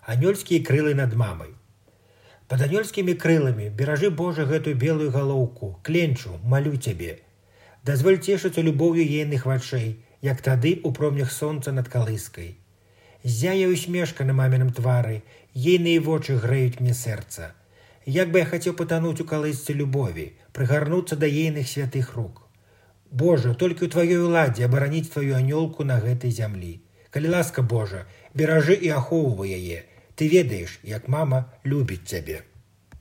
Анёльскія крылы над мамай. Пад анёльскімі крыламі беражы, Божа, гэтую белую галоўку, кленчу, малю цябе. Дазволь цешыцца любоўю ейных вачэй, як тады у промнях сонца над калыскай. Ззяе усмешка на маміным твары, ейныя вочы грэюць мне сэрца. Як бы я хацеў патануць у калысцы любові, прыгарнуцца да ейных святых рук. Божа, толькі ў тваёй уладзе абараніць тваю анёлку на гэтай зямлі. Калі ласка, Божа, беражы і ахоўвай яе. Ты ведаеш, як мама любіць цябе.